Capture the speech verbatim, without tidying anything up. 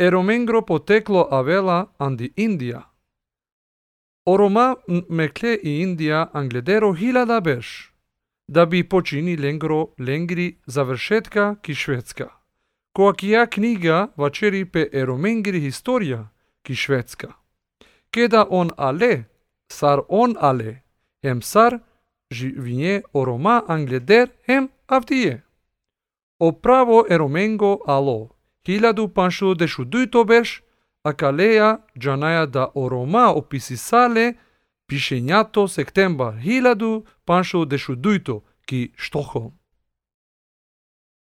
Eromengo poteklo avela andi Indija. Oroma mekle i Indija angledero hiljada beš, da bi počini lengro lengri završetka ki Švedska. Koakija knjiga vačeri pe eromengri historija ki Švedska. Keda on ale, sar on ale, hem sar živnje oroma angleder hem avdije. Opravo eromengo alo, hiljadu panšu dešu dujto beš, a kaleja džanaja da oroma opisisale pišenjato septembar hiljadu panšu dešu dujto ki Štokholm.